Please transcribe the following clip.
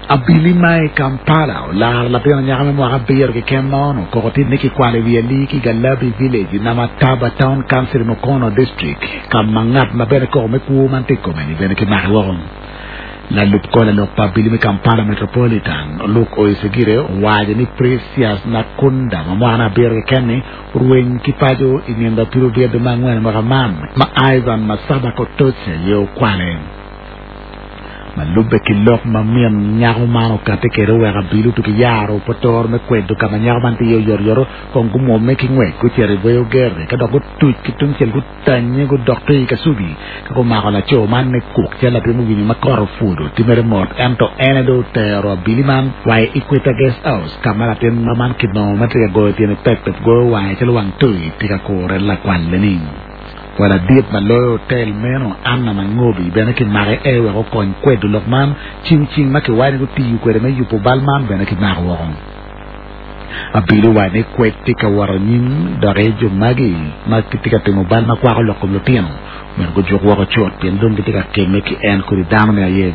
Abili ma i Kampala olaro latin anyaka me mwaka abiro keken ma onongo koko tye ni kikwalo i wi alii ki i Galabi Village i Namataba Town Council i Mukono District ka ma ngat ma bene koko me kwo man tye i kome-ni bene kimake woko. Lalub kor lalok pa abili me Kampala Metropolitan, Luke Oyesigire owaco ni Precious Nakunda ma mwakane abiro keken-ni orweny ki paco i nino apil obyeddo me angwen i mwaka man ma Ivan Masaba Kotose aye okwale. Ma lubbe ki lok ma min nyako man okatti kwede oweko abili otuki yaro potoro me kwedo ka ma nyako man tye iye oyotoyoto kong gumwomme ki ngwec gucito i Bweyogerre ka dok gutuc ki tungcel gutanye gudok tye i Kasubi ka gumako laco man me kuk calo latin owinyo ma kot opwodo tye mere mot ento en aye dong otero abili man wa i Equator Guest House ka ma latin ma man kinongo ma tye ka goyo tyene pep pep goyo wange calo wang toyi tye ka kure lakwalli-ni. Wa ladit ma loyo otel meno, Anna Mangobi, bene kimake e wek okony kwedo lok man. Cim cing ma kiwaco ni gutiyo kwede me yubo bal man bene kimako woko. Abili owaco ni kwed tye ka wot anyim doki jo magi ma gitye ka timo bal ma kwako lok kom lutino myero gujuk woko cut pien dong gitye ka kemme ki en kodi dano-ni aye.